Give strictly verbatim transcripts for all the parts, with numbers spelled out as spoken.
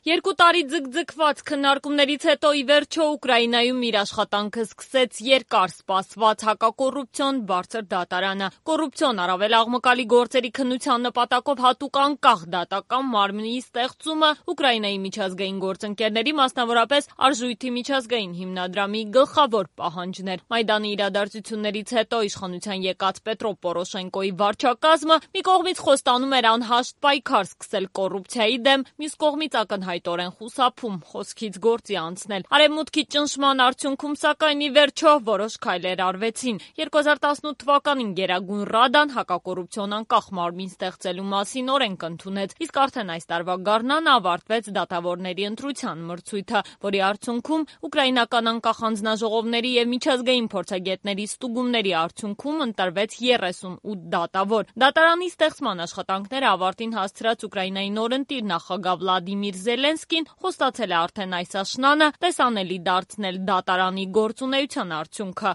Երկու տարի ձգձգված քննարկումներից հետո ի վերջո Ուկրաինայում իր աշխատանքը սկսեց երկար սպասված հակակոռուպցիոն բարձր դատարանը։ Կոռուպցիոն առավել աղմկալի գործերի քննության նպատակով հատուկ անկախ դատական մարմնի ստեղծումը Ուկրաինայի միջազգային գործընկերների, մասնավորապես Արժույթի միջազգային հիմնադրամի գլխավոր պահանջն էր։ Մայդանի իրադարձություններից հետո իշխանության եկած Պետրո Պորոշենկոյի վարչակազմը մի կողմից խոստանում էր անհաշտ պայքար սկսել կոռուպցիայի դեմ, մյուս կողմից ակնհայտորեն խուսափում խոսքից գործի անցնել։ Արևմուտքի ճնշման արդյունքում սակայն ի վերջո որոշ քայլեր արվեցին։ երկու հազար տասնութ թվականին Գերագույն Ռադան հակակոռուպցիոն անկախ մարմին ստեղծելու մասին օրենք ընդունեց, իսկ արդեն այս տարվա գարնանը ավարտվեց դատավորների ընտրության մրցույթը, որի արդյունքում ուկրաինական անկախ անձնաժողովների եւ միջազգային փորձագետների ստուգումների արդյունքում ընտրվեց երեսունութ դատավոր։ Դատարանի ստեղծման աշխատանքները ավարտին հասցրած Ուկրաինայի նորընտիր նախագահ Վլադիմիր Զելենսկին խոստացել է արդեն այս աշնանը տեսանելի դարձնել դատարանի գործունեության արդյունքը։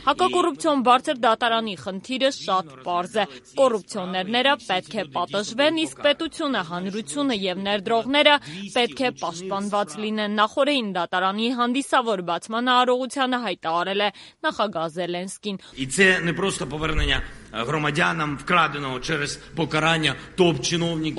Հակակոռուպցիոն բարձր դատարանի խնդիրը շատ պարզ է։ Կոռուպցիոներները պետք է պատժվեն, իսկ պետությունը, հանրությունը եւ ներդրողները պետք է պաշտպանված լինեն։ Նախորդին դատարանի հանդիսավոր բացման արարողությանը հայտարարել է նախագահ Զելենսկին։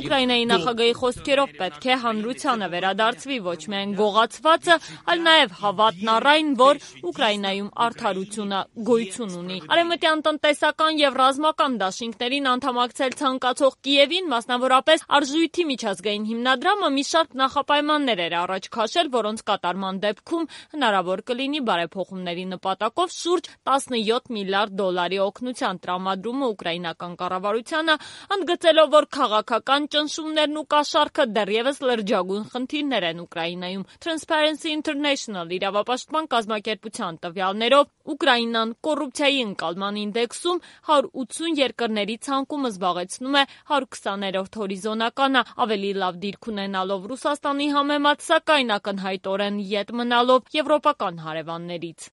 Ուկրաինայի նախագահի խոսքերով պետք է հանրությանը վերադարձվի ոչ միայն գողացվածը, այլ նաև հավատն առ այն, որ Ուկրաինայում արդարությունը գոյություն ունի։ Արևմտյան տնտեսական եւ ռազմական դաշինքներին անդամակցել ցանկացող Կիևին, մասնավորապես Արժույթի միջազգային հիմնադրամը մի շարք նախապայմաններ էր առաջ քաշել, որոնց կատարման դեպքում հնարավոր կլինի բարեփոխումների նպատակով շուրջ տասնյոթ միլիարդ դոլարի օգնության տրամադրումը ուկրաինական կառավարությանը, ընդգծելով, որ քաղաքական ճնշումներն ու կաշառքը դեռևս լրջագույն խնդիրներ են Ուկրաինայում։ Transparency International իրավապաշտպան կազմակերպության տվյալներով Ուկրաինան կոռուպցիայի ընկալման ինդեքսում հարյուր ութսուն երկրների ցանկում զբաղեցնում է հարյուր քսաներորդ հորիզոնականը, ավելի լավ դիրք ունենալով Ռուսաստանի համեմատ, սակայն ակնհայտորեն ետ մնալով եվրոպական հարևաններից։